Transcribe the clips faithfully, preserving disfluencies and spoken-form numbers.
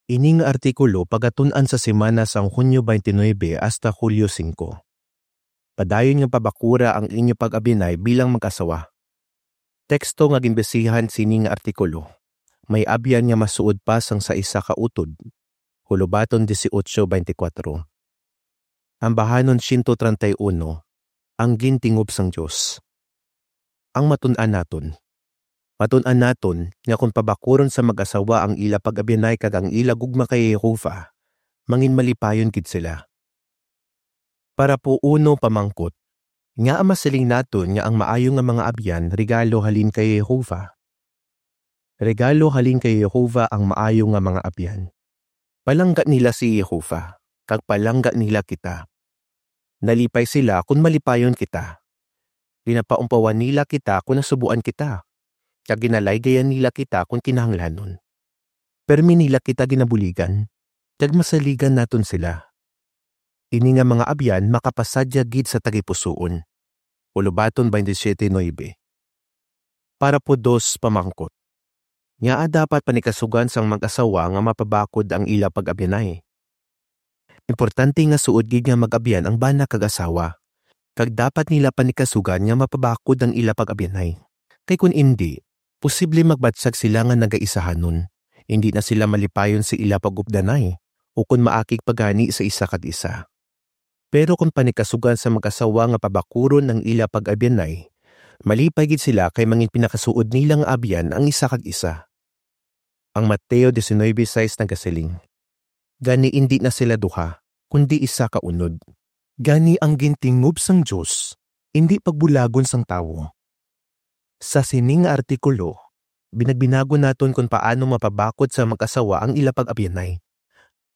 Ini nga artikulo pagatun-an sa semana sang Hunyo twenty-nine hasta Hulyo singko. Padayon nga pabakura ang inyo pag-abyanay bilang mag-asawa. Teksto nga ginbasihan sini nga artikulo, may abyan nga masuod pa sang sa isa ka utod. Hulubaton dieciocho veinticuatro. Ambahanon siyento treinta y uno, ang gintingob sang Dios. Ang matun-an naton. Matun-an naton nga kon pabakuron sa mag-asawa ang ila pag-abyanay kag ang ila gugma kay Jehovah, manginmalipayon gid sila. Parapo uno, pamangkot. Ngaa masiling naton nga ang maayo nga mga abyan regalo halin kay Jehovah? Regalo halin kay Jehovah ang maayo nga mga abyan. Palangga nila si Jehovah, kag palangga nila kita. Nalipay sila kon malipayon kita. Ginapaumpawan nila kita kon nasubuan kita, kag ginalaygayan nila kita kon kinahanglanon. Permi nila kita ginabuligan, kag masaligan naton sila. Ini nga mga abyan makapasadya gid sa tagipusoon. Hulubaton twenty-seven nuebe. Parapo dos, pamangkot. Ngaa dapat panikasugan sang mag-asawa nga mapabakod ang ila pag-abyanay? Importante nga suod gid nga mag-abyan ang bana kag asawa, kag dapat nila panikasugan nga mapabakod ang ila pag-abyanay. Kay kon indi, posible magbatyag sila nga nagaisahanon. Indi na sila malipayon sa ila pag-updanay, ukon maakig pa gani sa isa kag isa. Pero kon panikasugan sa mag-asawa nga pabakuron ang ila pag-abyanay, malipay gid sila kay manginpinakasuod nila nga abyan ang isa kag isa. Ang Mateo diecinuebe seis nagasiling, "Gani indi na sila duha, kundi isa ka unod." Gani ang gintingob sang Dios, indi pagbulagon sang tawo. Sa sini nga artikulo, binagbinagon naton kon paano mapabakod sa mag-asawa ang ila pag-abyanay.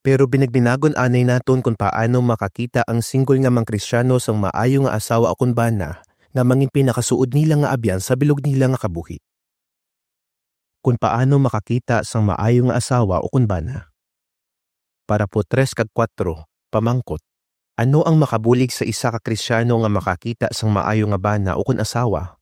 Pero binagbinagon anay naton kon paano makakita ang single nga mga Kristiano sang maayo nga asawa ukon bana nga manginpinakasuod nila nga abyan sa bilog nila nga kabuhi. Kon paano makakita sang maayo nga asawa ukon bana. Parapo tres kag kuwatro, pamangkot. Ano ang makabulig sa isa ka Kristiano nga makakita sang maayo nga bana ukon asawa?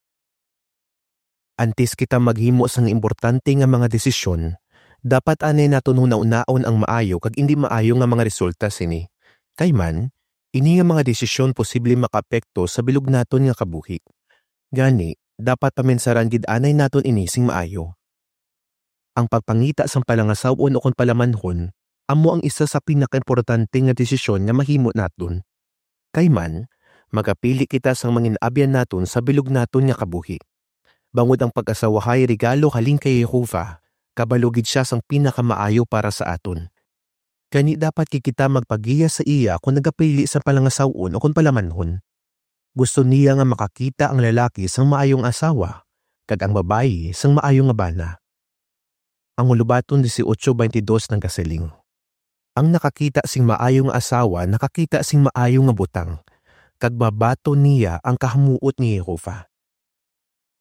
Antes kita maghimo sang importante nga mga desisyon, dapat anay naton hunahunaan ang maayo kag indi maayo nga mga resulta sini. Kay man, ini nga mga desisyon posible makaapekto sa bilog naton nga kabuhi. Gani, dapat paminsaran gid anay naton ini sing maayo. Ang pagpangita sang palangasaw-on ukon palamanhon amo ang isa sa pinakaimportante nga desisyon nga mahimo naton. Kay man, magapili kita sang mangin-abyan naton sa bilog naton nga kabuhi. Bangod ang pag-asawahay regalo halin kay Jehovah, kabalo gid sia sang pinakamaayo para sa aton. Gani dapat gid kita magpagiya sa iya kon nagapili sang palangasaw-on ukon palamanhon. Gusto niya nga makakita ang lalaki sang maayong asawa, kag ang babayi sang maayo nga bana. Ang Hulubaton dieciocho veintidós nagasiling, "Ang nakakita sing maayo nga asawa nakakita sing maayo nga butang, kag mabaton niya ang kahamuot ni Jehovah."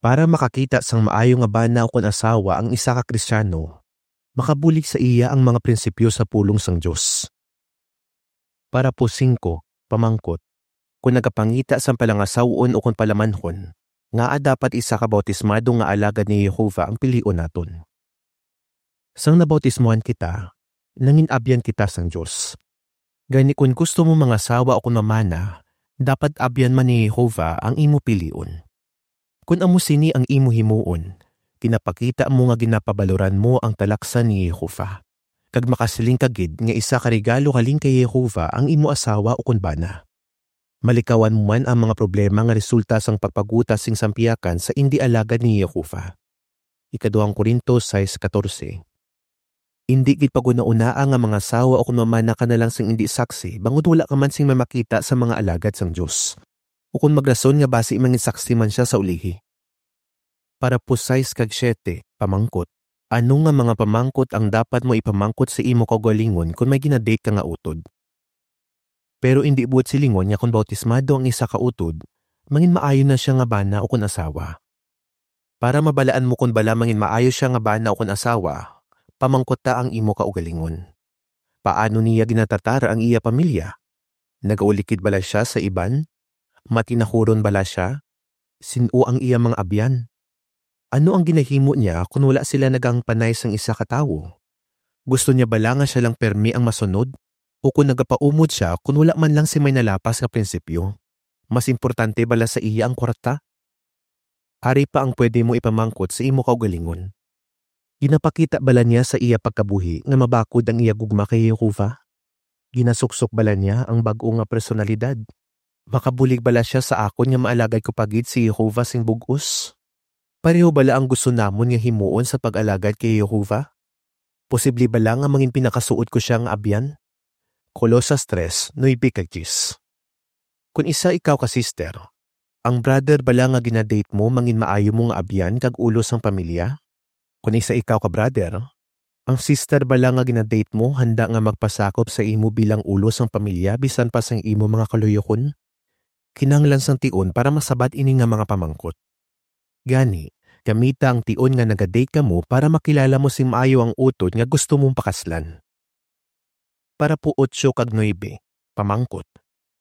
Para makakita sang maayo nga bana ukon asawa ang isa ka Kristiano, makabulig sa iya ang mga prinsipyo sa pulong sang Dios. Parapo singko, pamangkot. Kon nagapangita sang palangasaw-on ukon palamanhon, ngaa dapat isa ka bautismado nga alagad ni Jehovah ang pilion naton? Sang nabautismuhan kita, nangin-abyan kita sang Dios. Gani kon gusto mo mangasawa ukon mamana, dapat abyan man ni Jehovah ang imo pilion. Kon amo sini ang imo himuon, ginapakita mo nga ginapabaloran mo ang talaksan ni Jehovah, kag makasiling ka gid nga isa ka regalo halin kay Jehovah ang imo asawa ukon bana. Malikawan mo man ang mga problema nga resulta sang pagpaguta sing sampiyakan sa indi alagad ni Jehovah. Ikaduhang Corinto sais catorce. Indi gid paghunahunaa nga mangasawa ukon mamana ka na lang sing indi saksi, bangod wala ka man sing mamakita sa mga alagad sang Dios, ukon magrason nga basi mangin saksi man sia sa ulihi. Parapo sais kag siete, pamangkot. Ano nga mga pamangkot ang dapat mo ipamangkot sa imo kaugalingon kon may gina-date ka nga utod? Pero indi buot silingon nga kon bautismado ang isa ka utod, mangin maayo na sia nga bana ukon asawa. Para mabalaan mo kon bala mangin maayo sia nga bana ukon asawa, pamangkuta ang imo kaugalingon. Paano niya ginatratar ang iya pamilya? Nagaulikid bala sia sa iban? Matinahuron bala sia? Sin-o ang iya mga abyan? Ano ang ginahimo niya kon wala sila nagahangpanay sang isa ka tawo? Gusto niya bala nga siya lang permi ang masunod? O kon nagapaumod sia kon wala man lang si may nalapas nga prinsipyo? Mas importante bala sa iya ang kwarta? Ari pa ang pwede mo ipamangkot sa imo kaugalingon. Ginapakita bala niya sa iya pagkabuhi nga mabakod ang iya gugma kay Jehovah? Ginasuksok bala niya ang bag-o nga personalidad? Makabulig bala sia sa akon nga maalagad ko pa gid si Jehovah sing bug-os? Pareho bala ang gusto namon nga himuon sa pag-alagad kay Jehovah? Posible bala nga mangin pinakasuod ko sia nga abyan? Colosas tres, nuebe kag diyes. Kon isa ikaw ka sister, ang brother bala nga ginadate mo mangin maayo mo nga abyan kag ulo sang pamilya? Kon isa ikaw ka brother, ang sister bala nga ginadate mo handa nga magpasakop sa imo bilang ulo sang pamilya bisan pa sang imo mga kaluyokon? Kinahanglan sang tion para masabat ini nga mga pamangkot. Gani, gamita ang tion nga nagadate kamo para makilala mo sing maayo ang utod nga gusto mong pakaslan. Parapo otso kag nuebe, pamangkot.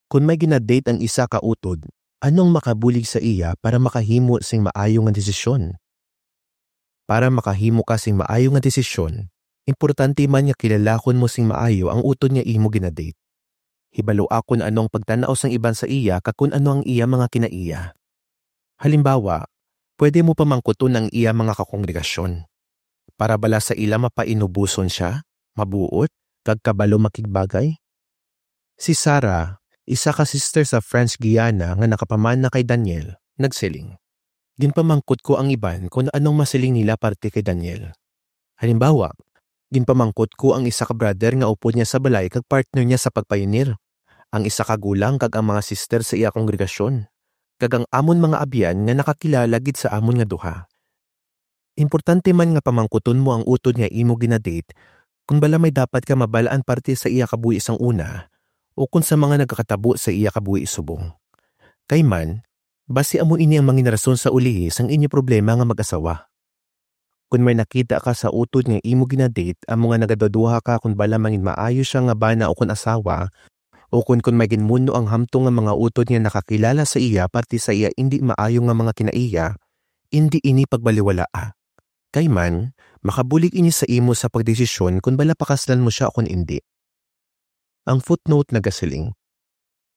Kon may ginadate ang isa ka utod, ano ang makabulig sa iya para makahimo sing maayo nga desisyon? Para makahimo ka sing maayo nga desisyon, importante man nga kilalahon mo sing maayo ang utod nga imo ginadate. Hibalua kon ano ang pagtan-aw sang iban sa iya kag kon ano ang iya mga kinaiya. Halimbawa, pwede mo pamangkuton ang iya mga kakongregasyon. Para bala sa ila mapainubuson sia, mabuot, kag kabalo makigbagay? Si Sarah, isa ka sister sa French Guiana nga nakapamana kay Daniel, nagsiling, "Ginpamangkot ko ang iban kon anong masiling nila parte kay Daniel. Halimbawa, ginpamangkot ko ang isa ka brother nga upod niya sa balay kag partner niya sa pagpayunir, ang isa ka gulang kag ang mga sister sa iya kongregasyon, kag ang amon mga abyan nga nakakilala gid sa amon nga duha." Importante man nga pamangkuton mo ang utod nga imo ginadate kon bala may dapat ka mabal-an parte sa iya kabuhi sang una o kon sa mga nagakatabo sa iya kabuhi subong. Kay man, basi amo ini ang mangin rason sa ulihi sang inyo problema nga mag-asawa. Kon may nakita ka sa utod nga imo ginadate, amo nga nagaduduha ka kon bala mangin maayo sia nga bana o kon asawa, o kon, kon may ginmuno ang hamtong nga mga utod nga nakakilala sa iya parte sa iya indi maayo nga mga kinaiya, indi ini pagbaliwalaa. Kay man, makabulig ini sa imo sa pagdesisyon kon bala pakaslan mo sia o kon indi. Ang footnote nagasiling,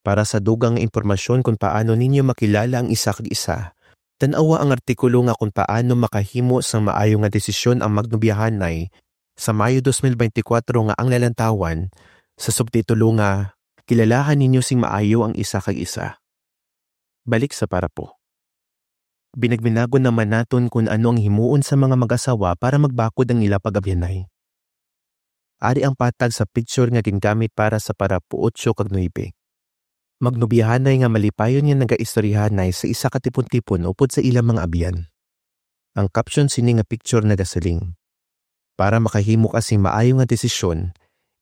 "Para sa dugang nga impormasyon kon paano ninyo makilala ang isa kag isa, tan-awa ang artikulo nga Kon Paano Makahimo sang Maayo nga Desisyon ang Magnobyahanay sa Mayo dos mil beintikwatro nga ang nalantawan sa subtitulo nga Kilalahan Ninyo sing Maayo ang Isa kag Isa." Balik sa parapo. Binagbinagon naman naton kon ano ang himuon sa mga mag-asawa para magbakod ang ila pag-abyanay. Ari ang patag sa picture nga gingamit para sa parapo otso kag nuebe. Magnobyahanay nga malipayon nga nagaistoryahanay sa isa ka tipon-tipon upod sa ilang mga abyan. Ang caption sini nga picture nagasiling, "Para makahimo ka sing maayo nga desisyon,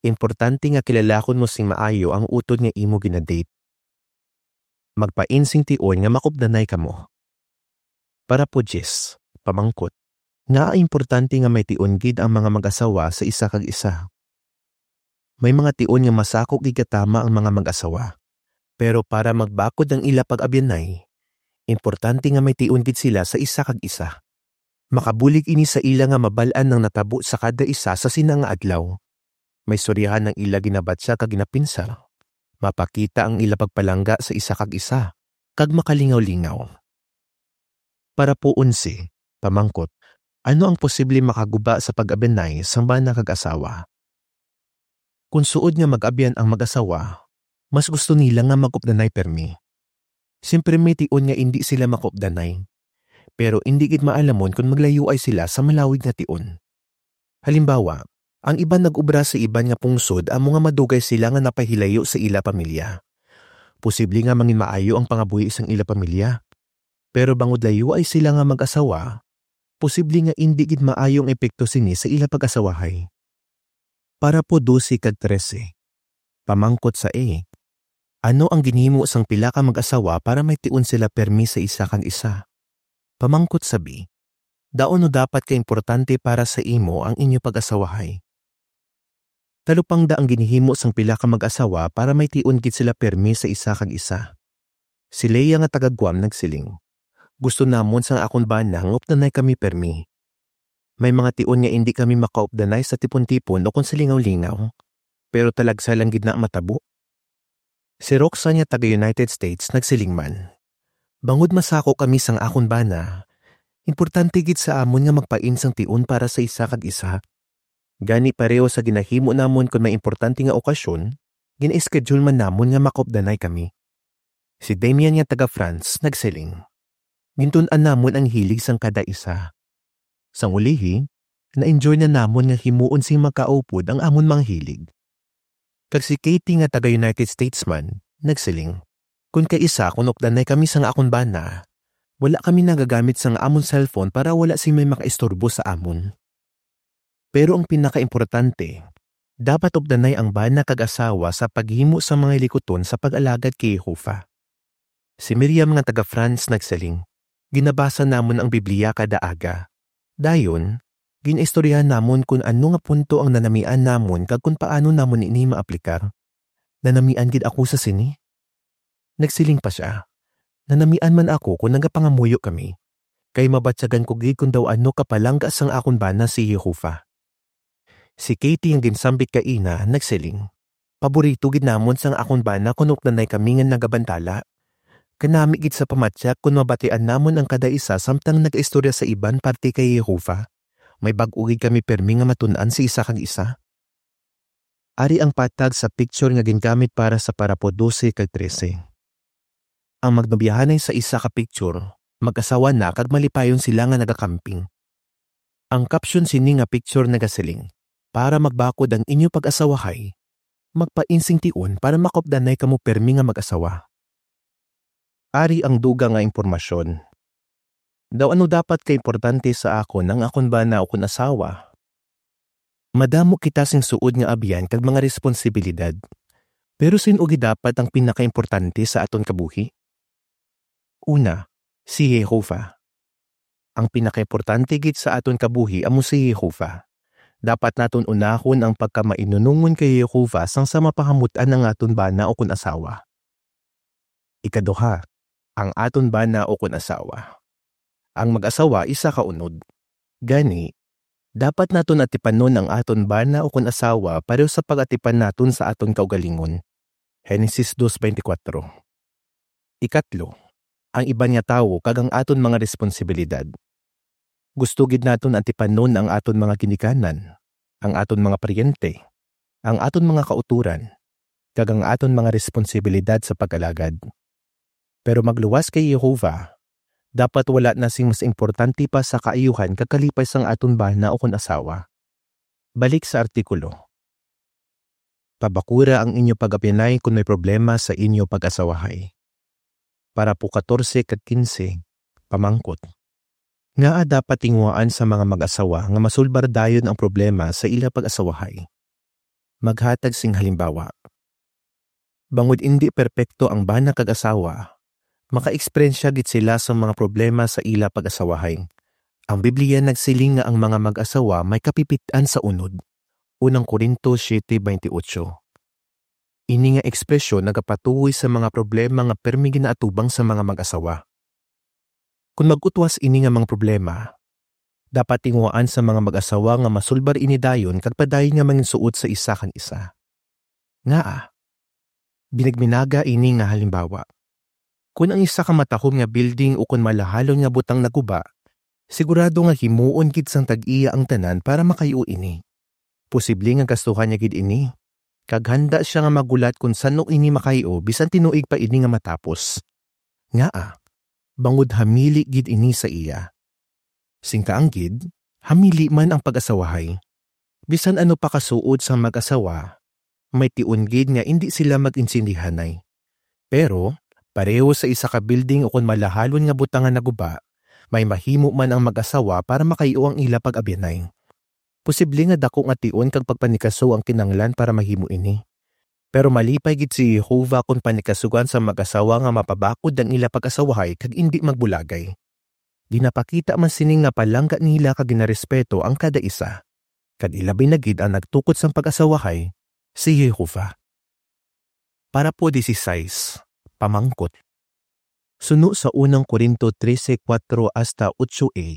importante nga kilalahon mo sing maayo ang utod nga imo ginadate." Magpain sing tion nga makupdanay kamo. Parapo diyes, pamangkot. Ngaa importante nga may tion gid ang mga mag-asawa sa isa kag isa? May mga tion nga masakop gid katama ang mga mag-asawa. Pero para magbakod ang ila pag-abyanay, importante nga may tion gid sila sa isa kag isa. Makabulig ini sa ila nga mabal-an ang natabo sa kada isa sa sina nga adlaw. Maistoryahan ang ila ginabatya kag ginapinsar. Mapakita ang ila pagpalangga sa isa kag isa, kag makalingaw-lingaw. Parapo onse, pamangkot, ano ang posible makaguba sa pag-abyanay sang bana kag asawa? Kon suod nga mag-abyan ang mag-asawa, mas gusto nila nga makupdanay permi. Siyempre, may tion nga indi sila makupdanay, pero indi gid maalamon kon maglayuay sila sa malawig nga tion. Halimbawa, ang iban nag-obra sa iban nga pungsod amo nga madugay sila nga napahilayo sa ila pamilya. Posible nga mangin maayo ang pangabuhi sang ila pamilya. Pero bangod layuay sila nga mag-asawa, posible nga indi gid maayo ang epekto sini sa ila pag-asawahay. Parapo dose kag trese. Pamangkot sa A, ano ang ginhimo sang pila ka mag-asawa para may tion sila permi sa isa kag isa? Pamangkot sa B, daw ano dapat ka importante para sa imo ang inyo pag-asawahay? Talupangda ang ginhimo sang pila ka mag-asawa para may tion gid sila permi sa isa kag isa. Si Leah nga taga Guam nagsiling, "Gusto namon sang akon bana nga updanay kami permi. May mga tion nga indi kami makaupdanay sa tipon-tipon o kon sa lingaw-lingaw, pero talagsa lang gid na ang matabo. Si Roxanne nga taga United States nagsiling man, "Bangod masako kami sang akon bana, importante gid sa amon nga magpain sang tion para sa isa kag isa. Gani pareho sa ginahimo namon kon may importante nga okasyon, gina-schedule man namon nga makaupdanay kami." Si Damian nga taga France nagsiling, "Gintun-an namon ang hilig sang kada isa. Sang ulihi, na-enjoy na namon nga himuon sing makaupod ang amon mga hilig." Kag si Katie nga taga United States man nagsiling, "Kon kaisa kon updanay kami sang akon bana, wala kami nagagamit sang amon cellphone para wala sing may makaistorbo sa amon." Pero ang pinakaimportante, dapat updanay ang bana kag asawa sa paghimo sang mga hilikuton sa pag-alagad kay Jehovah. Si Miriam nga taga France nagsiling, "Ginabasa namon ang Biblia kada aga. Dayon, ginaistoryahan namon kon ano nga punto ang nanamian namon kag kon paano namon ini maaplikar. Nanamian gid ako sa sini." Nagsiling pa sia, "Nanamian man ako kon nagapangamuyo kami, kay mabatyagan ko gid kon daw ano kapalangga sang akon bana si Jehovah." Si Katie nga ginsambit kaina nagsiling, "Paborito gid namon sang akon bana kon updanay kami nga nagabantala. Kanami gid sa pamatyak kon mabatian namon ang kada isa samtang nagaistorya sa iban parte kay Jehovah. May bag-o gid kami pirmi nga matun-an sa isa kag isa." Ari ang patag sa picture nga gingamit para sa parapo dose kag trese. Ang magnobyahanay sa isa ka picture, mag-asawa na kag malipayon sila nga nagakamping. Ang caption sini nga picture nagasiling, "Para magbakod ang inyo pag-asawahay, magpain sing tion para makaupdanay kamo pirmi nga mag-asawa." Ari ang dugang nga impormasyon. Daw ano dapat ka importante sa akon ang akon bana ukon asawa? Madamo kita sing suod nga abyan kag mga responsibilidad. Pero sin-o gid dapat ang pinakaimportante sa aton kabuhi? Una, si Jehovah. Ang pinakaimportante gid sa aton kabuhi amo si Jehovah. Dapat naton unahon ang pagkamainunungon kay Jehovah sang sa mapahamut-an ang aton bana ukon asawa. Ikaduha, ang aton bana ukon asawa. Ang mag-asawa isa ka unod. Gani, dapat naton atipanon ang aton bana ukon asawa pareho sa pag-atipan naton sa aton kaugalingon. Genesis dos veinticuatro. Ikatlo, ang iban nga tawo kag ang aton mga responsibilidad. Gusto gid naton atipanon ang aton mga ginikanan, ang aton mga paryente, ang aton mga kautoran, kag ang aton mga responsibilidad sa pag-alagad. Pero magluwas kay Jehovah, dapat wala na sing mas importante pa sa kaayuhan kag kalipay sang aton bana ukon asawa. Balik sa artikulo. Pabakura ang inyo pag-abyanay kon may problema sa inyo pag-asawahay. Parapo katorse kag kinse, pamangkot. Ngaa dapat tinguhaan sa mga mag-asawa nga masulbar dayon ang problema sa ila pag-asawahay? Maghatag sing halimbawa. Bangod indi perpekto ang bana kag asawa, makaeksperyensya gid sila sa mga problema sa ila pag-asawahay. Ang Biblia nagsiling nga ang mga mag-asawa may kapipit-an sa unod. Unang Corinto siete veintiocho. Ini nga ekspresyon nagapatuoy sa mga problema nga permi ginaatubang sa mga mag-asawa. Kon mag-utwas ini nga mga problema, dapat tinguhaan sa mga mag-asawa nga masulbar ini dayon kag padayon nga manginsuot sa isa kag isa. Ngaa? Binagminaga ini nga halimbawa. Kon ang isa ka matahom nga building ukon malahalon nga butang naguba, sigurado nga himuon gid sang tag-iya ang tanan para makayo ini. Posible nga gastuhan niya gid ini, kag handa sia nga maghulat kon san-o ini makayo bisan tinuig pa ini nga matapos. Ngaa? Bangod hamili gid ini sa iya. Sing kaanggid, hamili man ang pag-asawahay. Bisan ano pa ka suod sang mag-asawa, may tion gid nga indi sila mag-intindihanay. Pero, pareho sa isa ka building ukon malahalon nga butang nga naguba, may mahimo man ang mag-asawa para makayo ang ila pag-abyanay. Posible nga daku nga tion kag pagpanikasog ang kinahanglan para mahimo ini. Pero malipay gid si Jehovah kon panikasugan sang mag-asawa nga mapabakod ang ila pag-asawahay kag indi magbulagay. Ginapakita man sini nga palangga nila kag ginarespeto ang kada isa, kag ilabi na gid ang nagtukod sang pag-asawahay, si Jehovah. Parapo dieciséis, pamangkot. Suno sa unang Corinto trese cuatro hasta ocho a,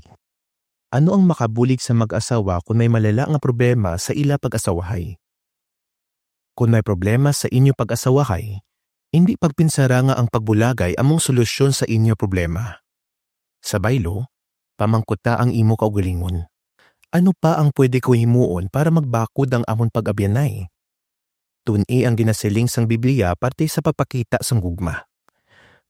Ano ang makabulig sa mag-asawa kon may malala nga problema sa ila pag-asawahay? Kon may problema sa inyo pag-asawahay, indi pagpinsara nga ang pagbulagay amo ang solusyon sa inyo problema. Sa baylo, pamangkuta ang imo kaugalingon, "Ano pa ang pwede ko himuon para magbakod ang amon pag-abyanay?" Tun-i ang ginasiling sang Biblia parte sa pagpakita sang gugma,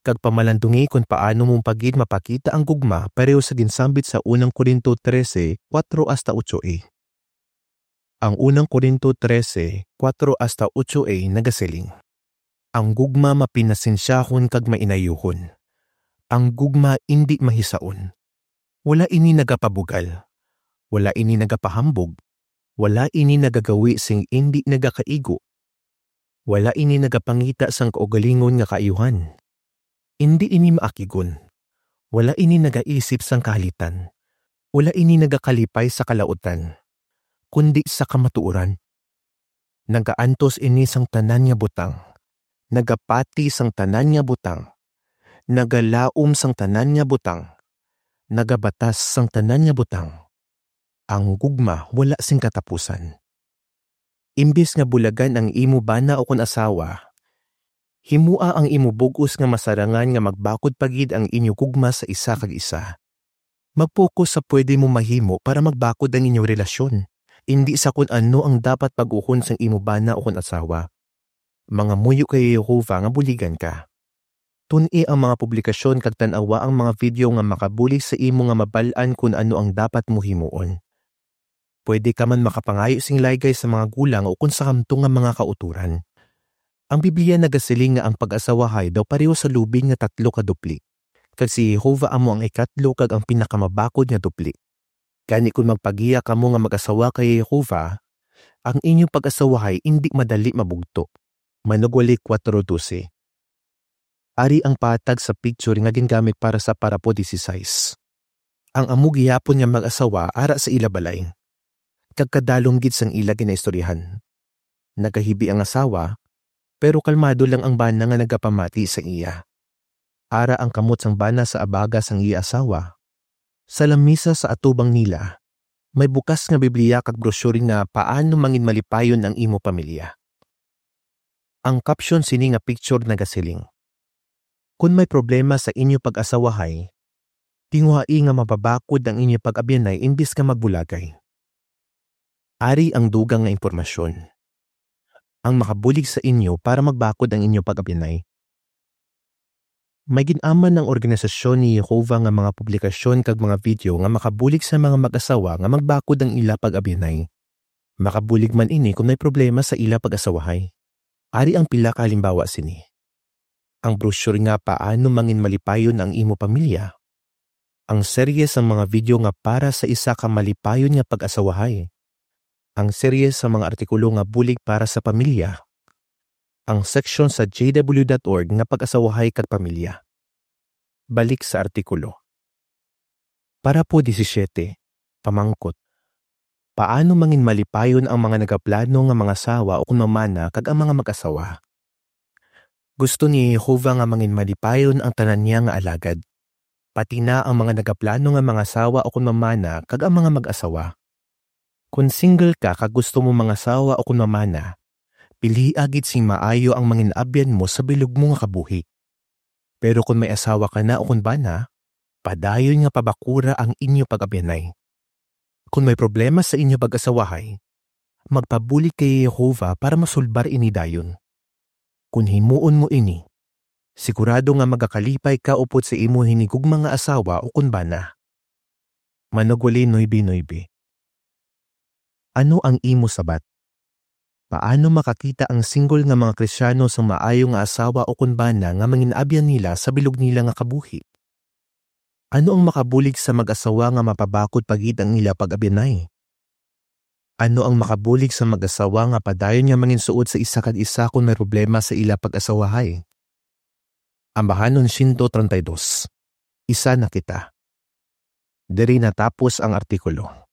kag pamalandungi kon paano mo pa gid mapakita ang gugma pareho sa ginsambit sa unang Corinto trese, kuwatro hasta otso A. Ang unang Corinto trese, kuwatro hasta otso A nagasiling, "Ang gugma mapinasensyahon kag mainayuhon. Ang gugma indi mahisaon. Wala ini nagapabugal. Wala ini nagapahambog. Wala ini nagagawi sing indi nagakaigo. Wala ini nagapangita sang kaugalingon nga kaayuhan. Indi ini maakigon. Wala ini nagaisip sang kahalitan. Wala ini nagakalipay sa kalautan, kundi sa kamatuoran. Nagaantos ini sang tanan nga butang, nagapati sang tanan nga butang, nagalaom sang tanan nga butang, nagabatas sang tanan nga butang. Ang gugma wala sing katapusan." Imbis nga bulagan ang imo bana ukon asawa, himoa ang imo bug-os nga masarangan nga magbakod pa gid ang inyo gugma sa isa kag isa. Mag-focus sa pwede mo mahimo para magbakod ang inyo relasyon, indi sa kon ano ang dapat bag-uhon sang imo bana ukon asawa. Mangamuyo kay Jehovah nga buligan ka. Tun-i ang mga publikasyon kag tan-awa ang mga video nga makabulig sa imo nga mabal-an kon ano ang dapat mo himuon. Pwede ka man makapangayo sing laygay sa mga gulang ukon sa kamtong nga mga kautoran. Ang Biblia nagasiling nga ang pag-asawahay daw pareho sa lubid nga tatlo ka dupli, kag si Jehovah amo ang ikatlo kag ang pinakamabakod nga dupli. Gani, kon magpagiya kamo nga mag-asawa kay Jehovah, ang inyo pag-asawahay indi madali mabugto. Manugwali kuwatro dose. Ari ang patag sa picture nga gingamit para sa parapo disisais. Ang amo gihapon nga mag-asawa ara sa ila balay, kag kadalom gid sang ila ginaistoryahan. Nagahibi ang asawa, pero kalmado lang ang bana nga nagapamati sa iya. Ara ang kamot sang bana sa abaga sang iya asawa. Sa lamisa sa atubang nila, may bukas nga Biblia kag brochure nga Paano Mangin Malipayon ang Imo Pamilya. Ang caption sini nga picture nagasiling, "Kon may problema sa inyo pag-asawahay, tinguhai nga mapabakod ang inyo pag-abyanay imbis nga magbulagay." Ari ang dugang nga impormasyon. Ang makabulig sa inyo para magbakod ang inyo pag-abyanay. May gin-aman ang organisasyon ni Jehovah nga mga publikasyon kag mga video nga makabulig sa mga mag-asawa nga magbakod ang ila pag-abyanay. Makabulig man ini kon may problema sa ila pag-asawahay. Ari ang pila ka halimbawa sini: ang brochure nga Paano Mangin Malipayon ang Imo Pamilya, ang serye sang mga video nga para sa isa ka malipayon nga pag-asawahay, ang serye sa mga artikulo nga bulig para sa pamilya, ang seksyon sa J W dot org nga Pag-asawahay kag Pamilya. Balik sa artikulo. Parapo disisiete, pamangkot: Paano mangin malipayon ang mga nagaplano nga mangasawa ukon mamana kag ang mga mag-asawa? Gusto ni Jehovah nga mangin malipayon ang tanan niya nga alagad, pati na ang mga nagaplano nga mangasawa ukon mamana kag ang mga mag-asawa. Kon single ka kag gusto mo mangasawa ukon mamana, pilia gid sing maayo ang mangin-abyan mo sa bilog mo nga kabuhi. Pero kon may asawa ka na ukon bana, padayon nga pabakura ang inyo pag-abyanay. Kon may problema sa inyo pag-asawahay, magpabulig kay Jehovah para masulbar ini dayon. Kon himuon mo ini, sigurado nga magakalipay ka upod sa imo hinigugma nga asawa ukon bana. Manugwali nuebe nuebe. Ano ang imo sabat? Paano makakita ang single nga mga Kristiano sang maayo nga asawa ukon bana nga mangin-abyan nila sa bilog nila nga kabuhi? Ano ang makabulig sa mag-asawa nga mapabakod pa gid ang ila pag-abyanay? Ano ang makabulig sa mag-asawa nga padayon nga manginsuod sa isa kag isa kon may problema sa ila pag-asawahay? Ambahanon sento treinta y dos. Isa na kita. Diri natapos ang artikulo.